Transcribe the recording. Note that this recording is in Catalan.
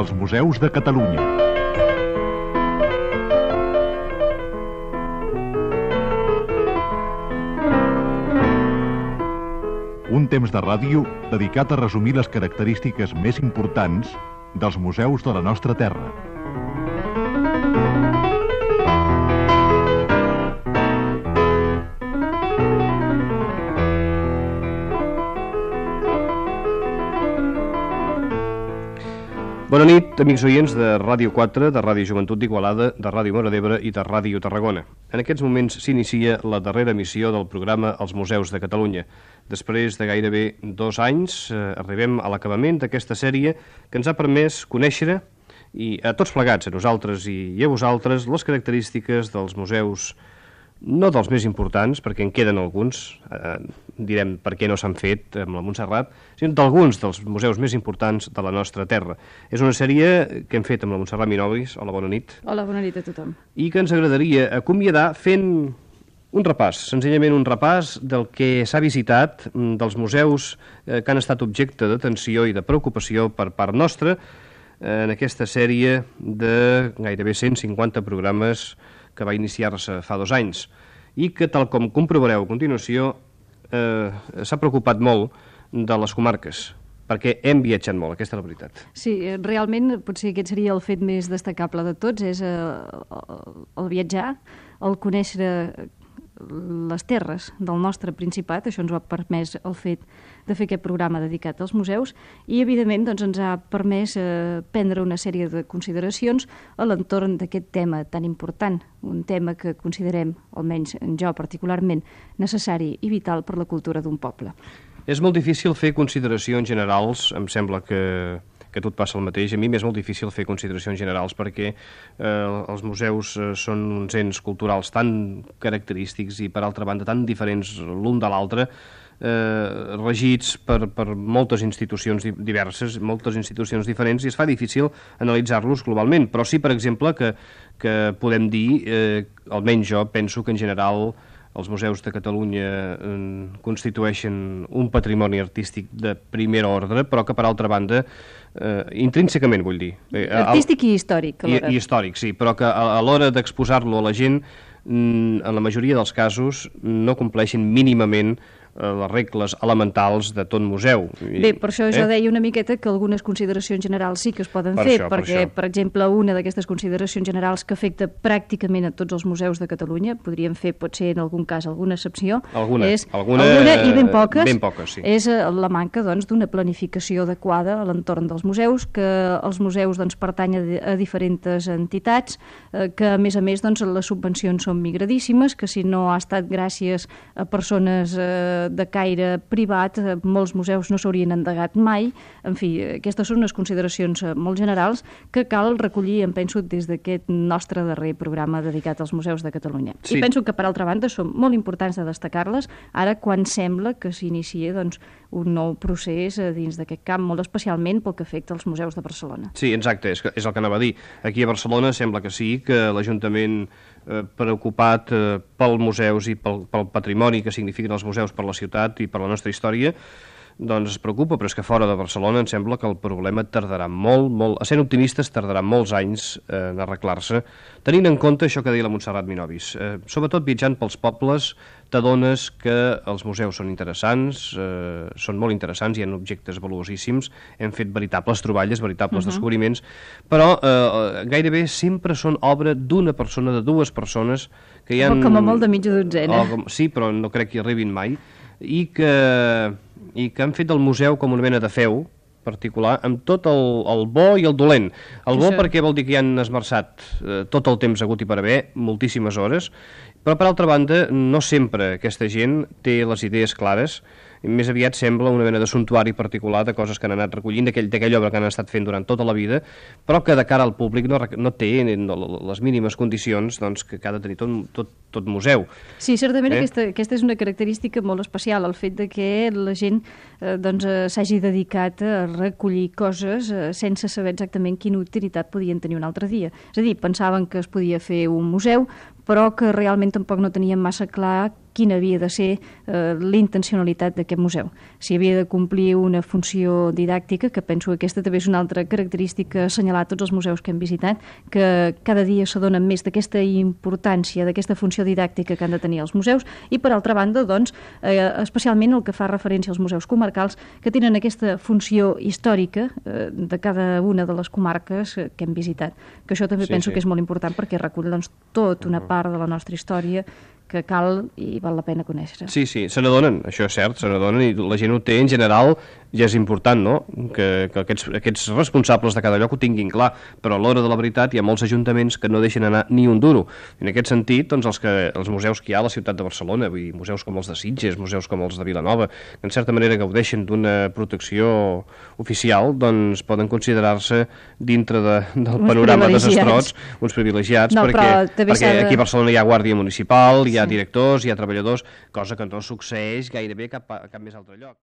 als museus de Catalunya. Un temps de ràdio dedicat a resumir les característiques més importants dels museus de la nostra terra. Bona nit, amics oients de Ràdio 4, de Ràdio Joventut d'Igualada, de Ràdio Móra d'Ebre i de Ràdio Tarragona. En aquests moments s'inicia la darrera emissió del programa Els Museus de Catalunya. Després de gairebé 2 anys arribem a l'acabament d'aquesta sèrie que ens ha permès conèixer, i a tots plegats, a nosaltres i a vosaltres, les característiques dels museus, no dels més importants, perquè en queden alguns, direm per què no s'han fet amb la Montserrat, sinó d'alguns dels museus més importants de la nostra terra. És una sèrie que hem fet amb la Montserrat Minovis. Hola, bona nit. Hola, bona nit a tothom. I que ens agradaria acomiadar fent un repàs, senzillament un repàs del que s'ha visitat, dels museus que han estat objecte d'atenció i de preocupació per part nostra en aquesta sèrie de gairebé 150 programes que va iniciar-se fa 2 anys i que, tal com comprovareu a continuació, s'ha preocupat molt de les comarques, perquè hem viatjat molt, aquesta és la veritat. Sí, realment potser aquest seria el fet més destacable de tots, és el viatjar, el conèixer les terres del nostre Principat. Això ens ho ha permès el fet de fer aquest programa dedicat als museus i, evidentment, doncs, ens ha permès prendre una sèrie de consideracions a l'entorn d'aquest tema tan important, un tema que considerem, almenys jo particularment, necessari i vital per la cultura d'un poble. És molt difícil fer consideracions generals, em sembla que a tu et passa el mateix. A mi m'és molt difícil fer consideracions generals perquè els museus són uns ens culturals tan característics i, per altra banda, tan diferents l'un de l'altre, regits per moltes institucions diverses, moltes institucions diferents, i es fa difícil analitzar-los globalment. Però sí, per exemple, que podem dir, almenys jo penso que en general els museus de Catalunya constitueixen un patrimoni artístic de primer ordre, però que, per altra banda, intrínsecament, vull dir... Artístic i històric, alhora. I històric, sí, però que a l'hora d'exposar-lo a la gent, en la majoria dels casos, no compleixen mínimament les regles elementals de tot museu. Bé, per això jo deia una miqueta que algunes consideracions generals sí que es poden fer, perquè, per exemple, una d'aquestes consideracions generals que afecta pràcticament a tots els museus de Catalunya, podríem fer, potser en algun cas, alguna excepció, alguna i ben poques, sí. És la manca, doncs, d'una planificació adequada a l'entorn dels museus, que els museus, doncs, pertanyen a diferents entitats, que, a més, doncs, les subvencions són migradíssimes, que si no ha estat gràcies a persones de caire privat, molts museus no s'haurien endegat mai. En fi, aquestes són unes consideracions molt generals que cal recollir, em penso, des d'aquest nostre darrer programa dedicat als museus de Catalunya. Sí. I penso que, per altra banda, són molt importants de destacar-les ara quan sembla que s'inicia, doncs, un nou procés dins d'aquest camp, molt especialment pel que afecta als museus de Barcelona. Sí, exacte, és el que anava a dir. Aquí a Barcelona sembla que sí, que l'Ajuntament preocupat pels museus i pel patrimoni que signifiquen els museus per la ciutat i per la nostra història, doncs es preocupa, però és que fora de Barcelona em sembla que el problema tardarà molt, a sent optimistes, tardarà molts anys en arreglar-se, tenint en compte això que deia la Montserrat Minovis. Sobretot viatjant pels pobles t'adones que els museus són interessants, són molt interessants, hi ha objectes valuosíssims, hem fet veritables troballes, veritables descobriments, però gairebé sempre són obra d'una persona, de 2 persones, que hi ha... Com a molt de mitja dotzena. Sí, però no crec que hi arribin mai, i que han fet del museu com una mena de feu particular, amb tot el bo i el dolent. El bo perquè vol dir que hi han esmerçat tot el temps hagut i per haver, moltíssimes hores, però per altra banda no sempre aquesta gent té les idees clares, més aviat sembla una mena de suntuari particular de coses que han anat recollint, d'aquella obra que han estat fent durant tota la vida, però que de cara al públic no té les mínimes condicions doncs, que ha de tenir tot museu. Sí, certament aquesta és una característica molt especial, el fet de que la gent s'hagi dedicat a recollir coses sense saber exactament quina utilitat podien tenir un altre dia. És a dir, pensaven que es podia fer un museu, però que realment tampoc no tenien massa clar quina havia de ser la intencionalitat d'aquest museu. Si havia de complir una funció didàctica, que penso que aquesta també és una altra característica a assenyalar a tots els museus que hem visitat, que cada dia s'adonen més d'aquesta importància, d'aquesta funció didàctica que han de tenir els museus, i per altra banda, doncs, especialment el que fa referència als museus comarcals, que tenen aquesta funció històrica de cada una de les comarques que hem visitat, que això també penso que és molt important perquè recull doncs, tota una part de la nostra història que cal i val la pena conèixer. Sí, se n'adonen, això és cert, se n'adonen, i la gent ho té en general, ja és important, no?, que aquests responsables de cada lloc ho tinguin clar, però a l'hora de la veritat hi ha molts ajuntaments que no deixen anar ni un duro. En aquest sentit, doncs, els museus que hi ha a la ciutat de Barcelona, vull dir, museus com els de Sitges, museus com els de Vilanova, que en certa manera gaudeixen d'una protecció oficial, doncs poden considerar-se dintre del panorama desastrós uns privilegiats, perquè aquí a Barcelona hi ha guàrdia municipal, hi ha directors, hi ha treballadors, cosa que no succeeix gairebé a cap més altre lloc.